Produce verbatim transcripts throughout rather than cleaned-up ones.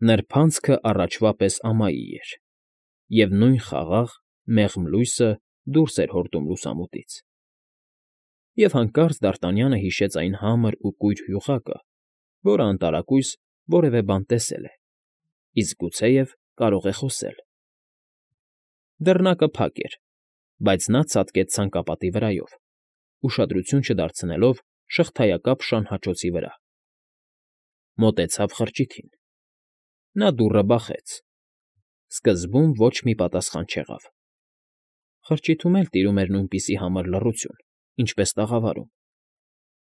Նրբանցքը առաջվա պես ամայի էր, և նույն խաղաղ, մեղմ լույսը դուրս էր հորդում լուսամուտից… Եվ հանկարծ Դարտանյանը հիշեց այն համր ու կույր հյուղակը, որը անտարակույս որևէ բան տեսել է, իսկ գուցեև կարող է խոսել… Դռնակը փակ էր, բայց նա ցատկեց ցանկապատի վրայով, ուշադրություն չդարձնելով շղթայակապ շանհաճոցի վրա. մոտեցավ խրճիթին… Նա դուռը բախեց… Սկզբում ոչ մի պատասխան չեղավ… Խրճիթում էլ տիրում էր նույնպիսի համր լռություն, ինչպես տաղավարում,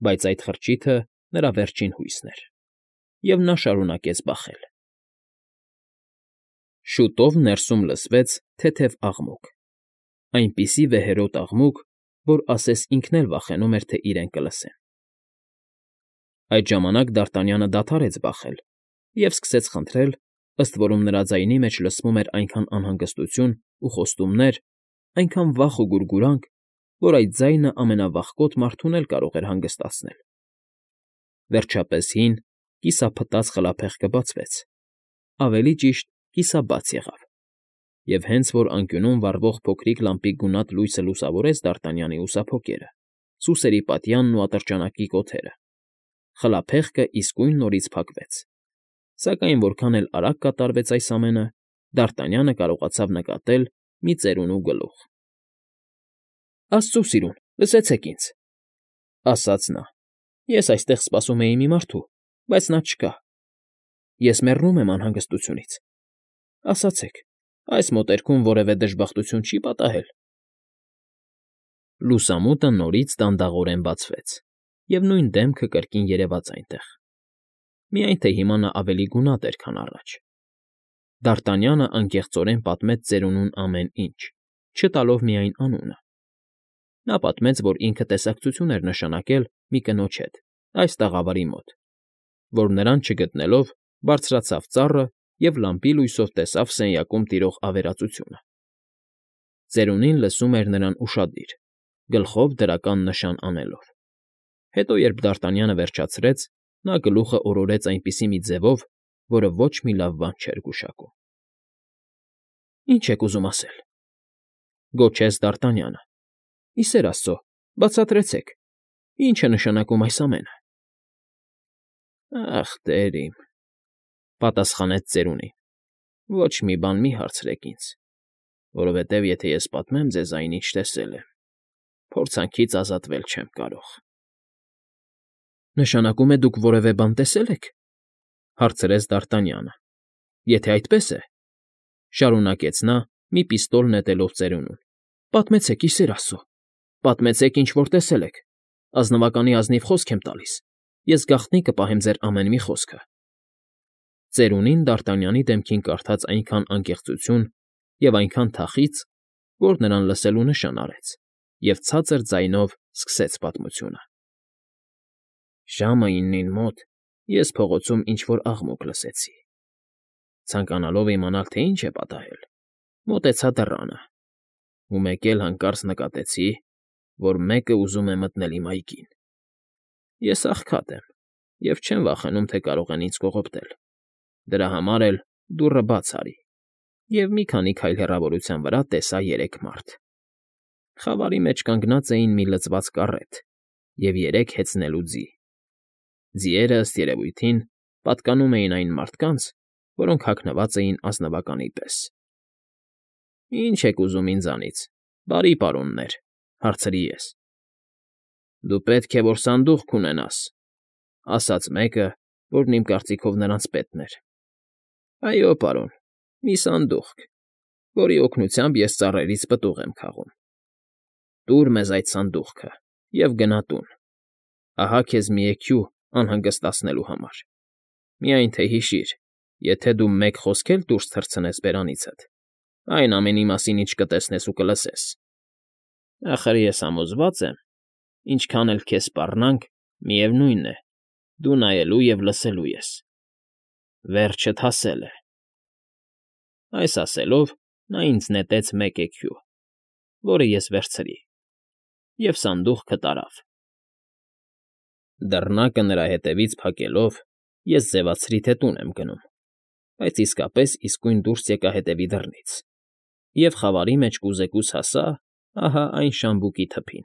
բայց այդ խրճիթը նրա վերջին հույսն էր, և նա շարունակեց բախել… Շուտով ներսում լսվեց թեթև աղմուկ, այնպիսի վեհերոտ աղմուկ, որ ասես ինքն էլ վախենում էր, թե իրեն կլսեն… Այդ ժամանակ Դարտանյանը դադարեց բախել և սկսեց խնդրել, ըստ որում նրա ձայնի մեջ լսվում էր այնքան անհանգստություն ու խոստումներ, այնքան վախ ու գուրգուրանք, որ այդ ձայնը ամենավախկոտ մարդուն էլ կարող էր հանգստացնել… Վերջապես հին, կիսափտած խլափեղկը բացվեց, ավելի ճիշտ կիսաբաց եղավ, և հենց որ անկյունում վառվող փոքրիկ լամպի գունատ լույսը լուսավորեց Դարտանյանի ուսափոկերը, սուսերի պատյանն ու ատրճանակի կոթերը, խլափեղկը իսկույն նորից փակվեց, սակայն որքան էլ արագ կատարվեց այս ամենը, Դարտանյանը կարողացավ նկատել մի ծերունու գլուխ… ֊ Աստծո սիրուն, լսեցեք ինձ,֊ ասաց նա,֊ ես այստեղ սպասում էի մի մարդու, բայց նա չկա… Ես մեռնում եմ անհանգստությունից… Ասացեք, այս մոտերքում որևէ դժբախտություն չի՞ պատահել… Լուսամուտը նորից դանդաղորեն բացվեց, և նույն դեմքը կրկին երևաց այնտեղ, միայն թե հիմա նա ավելի գունատ էր, քան առաջ… Դարտանյանը անկեղծորեն պատմեց ծերունուն ամեն ինչ, չտալով միայն անունը… Նա պատմեց, որ ինքը տեսակցություն էր նշանակել մի կնոջ հետ այս տաղավարի մոտ, որ նրան չգտնելով բարձրացավ ծառը և լամպի լույսով տեսավ սենյակում տիրող ավերածությունը… Ծերունին լսում էր նրան ուշադիր, գլխով դրական նշան անելով… Հետո, երբ Դարտանյանը վերջացրեց, նա գլուխը օրորեց այնպիսի մի ձևով, որը ոչ մի լավ բան չէր գուշակում… ֊ Ի՞նչ եք ուզում ասել,֊ գոչեց Դարտանյանը։֊ Ի սեր աստծո, բացատրեցեք, ի՞նչ է նշանակում այս ամենը… ֊ Ախ, տեր իմ,֊ պատասխանեց ծերունին,֊ ոչ մի բան մի հարցրեք ինձ, որովհետև եթե ես պատմեմ ձեզ այն, ինչ տեսել եմ, փորձանքից ազատվել չեմ կարող… ֊ Նշանակում է դուք որևէ բան տեսե՞լ եք,֊ հարցրեց Դարտանյանը։ ֊ Եթե այդպես է,֊ շարունակեց նա, մի պիստոլ նետելով ծերունուն,֊ պատմեցեք, ի սեր աստծո, պատմեցեք, ինչ որ տեսել եք, ազնվականի ազնիվ խոսք եմ տալիս, ես գաղտնի կպահեմ ձեր ամեն մի խոսքը… Ծերունին Դարտանյանի դեմքին կարդաց այնքան անկեղծություն և այնքան թախիծ, որ նրան լսելու նշան արեց և ցածր ձայնով սկսեց պատմությունը. Ժամը իննին մոտ ես փողոցում ինչ֊որ աղմուկ լսեցի… Ցանկանալով իմանալ, թե ինչ է պատահել, մոտեցա դռանը ու մեկ էլ հանկարծ նկատեցի, որ մեկը ուզում է մտնել իմ այգին… Ես աղքատ եմ և չեմ վախենում, թե կարող են ինձ կողոպտել, դրա համար էլ դուռը բաց արի և մի քանի քայլ հեռավորության վրա տեսա երեք մարդ… Խավարի մեջ կանգնած էին մի լծված կառետ և երեք հեծնելու ձի… Ձիերը, ըստ երևույթին, պատկանում էին այն մարդկանց, որոնք հագնված էին ազնվականի պես… ֊ Ի՞նչ եք ուզում ինձանից, բարի պարոններ,֊ հարցրի ես։ ֊ Դու պետք է որ սանդուղք ունենաս,֊ ասաց մեկը, որն իմ կարծիքով նրանց պետն էր։ ֊ Այո, պարոն, մի սանդուղք, որի օգնությամբ ես ծառերից պտուղ եմ քաղում… Տուր մեզ այդ սանդուղքը և գնա տուն… Ահա քեզ մի էքյու անհանգստացնելու համար… Միայն թե հիշիր, եթե դու մեկ խոսք էլ դուրս թռցնես բերանիցդ, այն ամենի մասին, ինչ կտեսնես ու կլսես… Ախր ես համոզված եմ, ինչքան էլ քեզ սպառնանք, միևնույն է, դու նայելու և լսելու ես… Վերջդ հասել է… Այս ասելով նա ինձ նետեց մեկ էքյու, որը ես վերցրի, և սանդուղքը տարավ… Դռնակը նրա հետևից փակելով՝ ես ձևացրի, թե տուն եմ գնում։ բայց իսկապես իսկույն դուրս եկա հետևի դռնից և խավարի մեջ կուզեկուց հասա ահա այն շամբուկի թփին,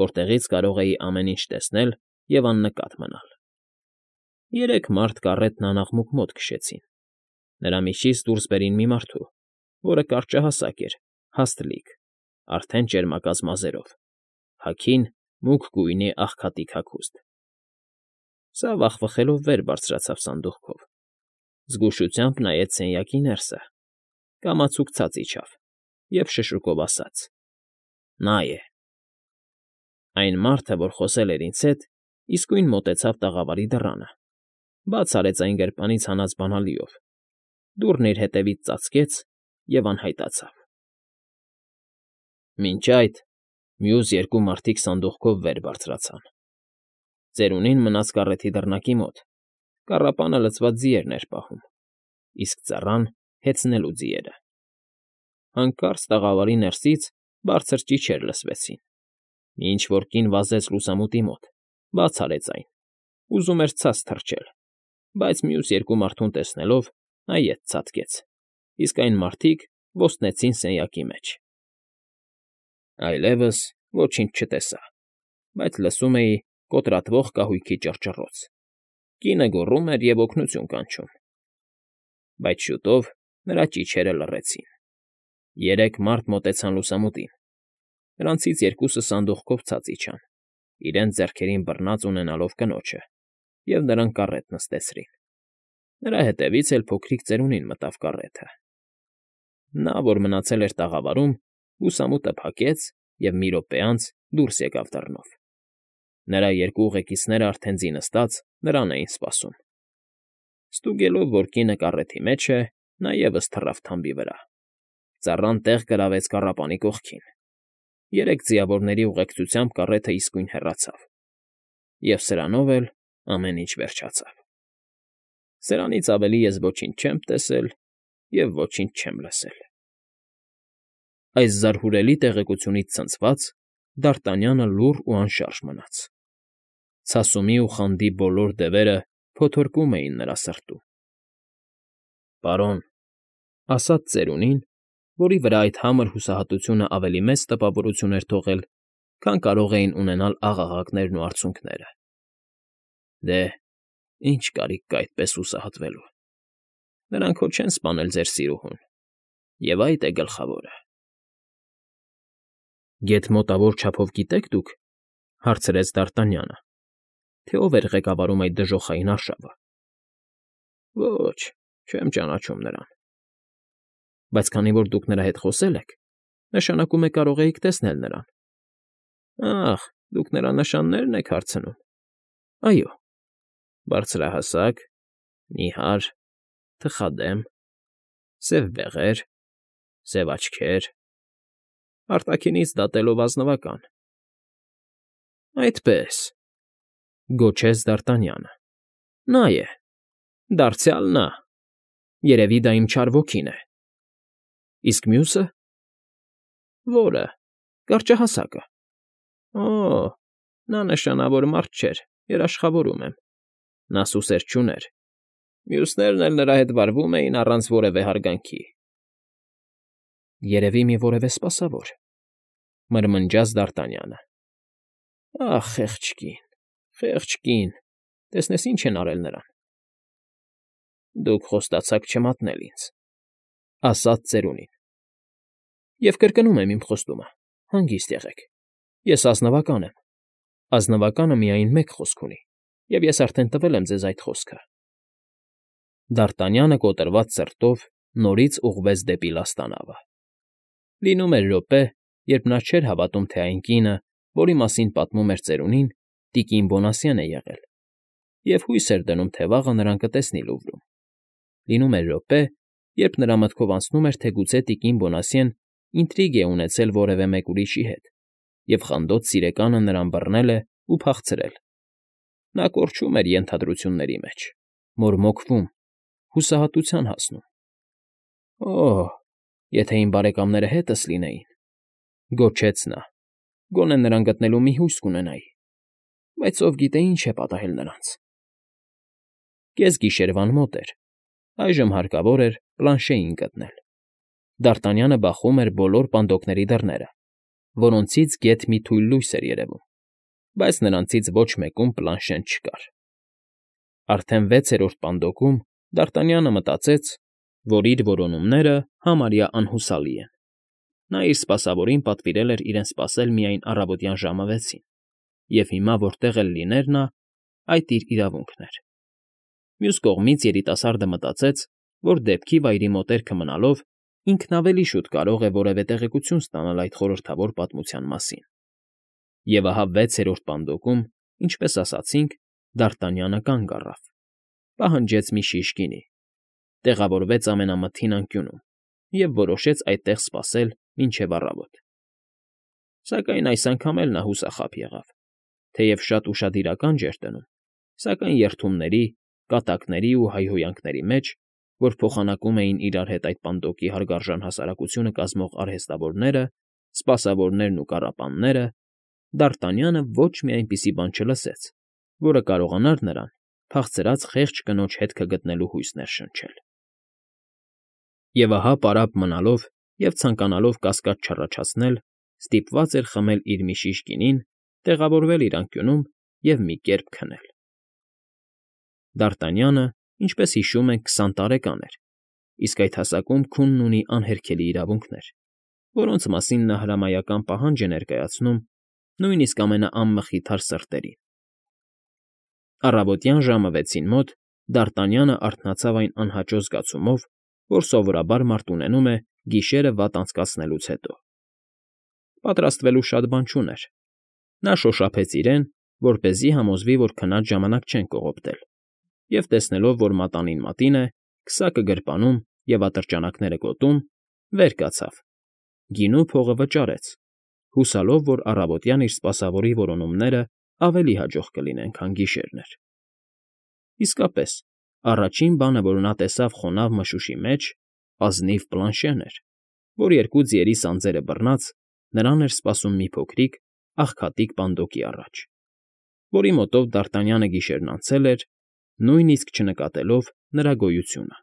որտեղից կարող էի ամեն ինչ տեսնել և աննկատ մնալ։ Երեք մարդ կառետն անաղմուկ մոտ քշեցին, նրա միջից դուրս բերին մի մարդու, որը կարճահասակ էր, հաստլիկ, արդեն ճերմակած մազերով, հագին մուգ գույնի աղքատիկ հագուստ։ Սա վախվխելով վեր բարձրացավ սանդուղքով, զգուշությամբ նայեց սենյակի ներսը, կամացուկ ցած իջավ և շշուկով ասաց. «Նա է»։ Այն մարդը, որ խոսել էր ինձ հետ, իսկույն մոտեցավ տաղավարի դռանը, բաց արեց այն գրպանից հանած բանալիով, դուռն իր հետևից ծածկեց և անհայտացավ։ Մինչ այդ մյուս երկու մարդիկ սանդուղքով վեր բարձրացան։ Ծերունին մնաց կառեթի դռնակի մոտ, կառապանը լցված ձիերն էր պահում, իսկ ծառան հեծնելու ձիերը։ Հանկարծ տաղավարի ներսից բարձր ճիչեր լսվեցին։ Մի ինչ֊որ կին վազեց լուսամուտի մոտ, բաց արեց այն, ուզում էր ցած թռչել, բայց մյուս երկու մարդուն տեսնելով նա ետ ցատկեց, իսկ այն մարդիկ ոստնեցին սենյակի մեջ։ Այլևս ոչինչ չտեսա, բայց լսում էի կոտրատվող կահույքի ճռճռոց, կինը գոռում էր և օգնություն կանչում։ Բայց շուտով նրա ճիչերը լռեցին։ Երեք մարդ մոտեցան լուսամուտին, նրանցից երկուսը սանդուղքով ցած իջան, իրենց ձեռքերին բռնած ունենալով կնոջը, և նրան կառետ նստեցրին։ Նրա հետևից էլ փոքրիկ ծերունին մտավ կառեթը։ Նա, որ մնացել էր տաղավարում, լուսամուտը փակեց և մի րոպե անց դուրս եկավ դռնով։ Նրա երկու ուղեկիցները արդեն ձի նստած նրան էին սպասում։ Ստուգելով, որ կինը կառեթի մեջ է, նա ևս թռավ թամբի վրա։ Ծառան տեղ գրավեց կառապանի կողքին։ Երեք ձիավորների ուղեկցությամբ կառեթը իսկույն հեռացավ, և սրանով էլ ամեն ինչ վերջացավ։ Սրանից ավելի ես ոչինչ չեմ տեսել և ոչինչ չեմ լսել։ Այս զարհուրելի տեղեկությունից ցնցված՝ Դարտանյանը լուռ ու անշարժ մնաց։ Ցասումի ու խանդի բոլոր դևերը փոթորկում էին նրա սրտում։ Պարոն,֊ ասաց ծերունին, որի վրա այդ համր հուսահատությունը ավելի մեծ տպավորություն էր թողել, քան կարող էին ունենալ աղաղակներն ու արցունքները,֊ դե, ի՞նչ կարիք կա այդպես հուսահատվելու։ Նրանք հո չեն սպանել ձեր սիրուհուն, և այդ է գլխավորը։ ֊ Գեթ մոտավոր չափով գիտե՞ք դուք,֊ հարցրեց Դարտանյանը,֊ թե ով էր ղեկավարում այդ դժոխային արշավը։ ֊ Ոչ, չեմ ճանաչում նրան։ ֊ Բայց քանի որ դուք նրա հետ խոսել եք, նշանակում է կարող էիք տեսնել նրան։ ֊ Ախ, դուք նրա նշաննե՞րն եք հարցնում։ ֊ Այո։ ֊ Բարձրահասակ, նիհար, թխադեմ, սև բեղեր, սև աչքեր, արտաքինից դատելով ազնվական։ ֊ Այդպե՜ս,֊ գոչեց Դարտանյանը։֊ Նա է, դարձյալ նա։ Երևի դա իմ չար ոգին է։ ֊ Իսկ մյուսը։ ֊ Որը։ Կարճահասակը։ ֊ Օ՜, նա նշանավոր մարդ չէր, երաշխավորում եմ։ Նա սուսեր չուներ, մյուսներն էլ նրա հետ վարվում էին առանց որևէ հարգանքի։ ֊ Երևի մի որևէ սպասավոր,֊ մրմնջաց Դարտանյանը։ ֊ Ախ, խեղճ կին, խեղճ կին, տեսնես ինչ են արել նրան։ ֊ Դուք խոստացաք չմատնել ինձ,֊ ասաց ծերունին։ ֊ Եվ կրկնում եմ իմ խոստումը, հանգիստ եղեք, ես ազնվական եմ, ազնվականը միայն մեկ խոսք ունի, և ես արդեն տվել եմ ձեզ այդ խոսքը։ Դարտանյանը կոտրված սրտով նորից ուղղվեց դեպի լաստանավը։ Լինում էր րոպե, երբ նա չէր հավատում, թե այն կինը, որի մասին պատմում էր ծերունին, տիկին Բոնասյան է եղել, և հույս էր դնում, թե վաղը նրան կտեսնի Լուվրում։ Լինում էր րոպե, երբ նրա մտքով անցնում էր, թե գուցե տիկին Բոնասյեն ինտրիգ է ունեցել որևէ մեկ ուրիշի հետ, և խանդոտ սիրեկանը նրան բռնել է ու փախցրել։ Նա կորչում էր ենթադրությունների մեջ, մորմոքվում, հուսահատության հասնում։ «Օ՜, եթե իմ բարեկամները հետս լինեին,֊ գոչեց նա,֊ գոնե նրան գտնելու մի հույս կունենայի, բայց ով գիտե ինչ է պատահել նրանց»։ Կեսգիշերվան մոտ էր, Այժմ հարկավոր էր պլանշեին գտնել։ Դ'Արտանյանը բախում էր բոլոր պանդոկների դռները, որոնցից գեթ մի թույլ լույս էր երևում, բայց նրանցից ոչ մեկում պլանշեն չկար։ Արդեն վեցերորդ պանդոկում Դ'Արտանյանը մտածեց, որ իր որոնումները համարյա անհուսալի են. նա իր սպասավորին պատվիրել էր իրեն սպասել միայն առավոտյան ժամը վեցին, և հիմա որտեղ էլ լիներ նա, այդ իր իրավունքն էր։ Մյուս կողմից երիտասարդը մտածեց, որ դեպքի վայրի մոտերքը մնալով ինքն ավելի շուտ կարող է որևէ տեղեկություն ստանալ այդ խորհրդավոր պատմության մասին։ Եվ ահա վեցերորդ պանդոկում, ինչպես ասացինք, Դ'Արտանյանը կանգ առավ, պահանջեց մի շիշ գինի, տեղավորվեց ամենամթին անկյունում և որոշեց այդտեղ սպասել մինչև առավոտ։ Սակայն այս անգամ էլ նա հուսախաբ եղավ, թեև շատ ուշադիրական չէր դնում, սակայն երդումների, կատակների ու հայհոյանքների մեջ, որ փոխանակում էին իրար հետ այդ պանդոկի հարգարժան հասարակությունը կազմող արհեստավորները, սպասավորներն ու կառապանները, Դ'Արտանյանը ոչ մի այնպիսի բան չլսեց, որը կարողանար նրան փախցրած խեղճ կնոջ հետքը գտնելու հույս ներշնչել։ Եվ ահա պարապ մնալով և ցանկանալով կասկած չառաջացնել, ստիպված էր խմել իր մի շիշ գինին, տեղավորվել իր անկյունում և մի կերպ քնել։ Դ'Արտանյանը, ինչպես հիշում ենք, քսան տարեկան էր, իսկ այդ հասակում քունն ունի անհերքելի իրավունքներ, որոնց մասին նա հրամայական պահանջ է ներկայացնում նույնիսկ ամենաանմխիթար սրտերին։ Առավոտյան ժամը վեցին մոտ Դ'Արտանյանը արթնացավ այն անհաճո զգացումով, որ սովորաբար մարդ ունենում է գիշերը վատ անցկացնելուց հետո։ Պատրաստվելու շատ բան չուներ։ Նա շոշափեց իրեն, որպեսզի համոզվի, որ քնած ժամանակ չեն կողոպտել, և տեսնելով, որ մատանին մատին է, քսակը գրպանում և ատրճանակները գոտում, վեր կացավ, գինու փողը վճարեց, հուսալով, որ առավոտյան իր սպասավորի որոնումներն ավելի հաջող կլինեն, քան գիշերն էր։ Իսկապես, առաջին բանը, որ նա տեսավ խոնավ մշուշի մեջ, ազնիվ պլանշեն էր, որ երկու ձիերի սանձերը բռնած նրան էր սպասում մի փոքրիկ, աղքատիկ պանդոկի առաջ, որի մոտով Դ'Արտանյանը գիշերն անցել էր, նույնիսկ չնկատելով նրա գոյությունը։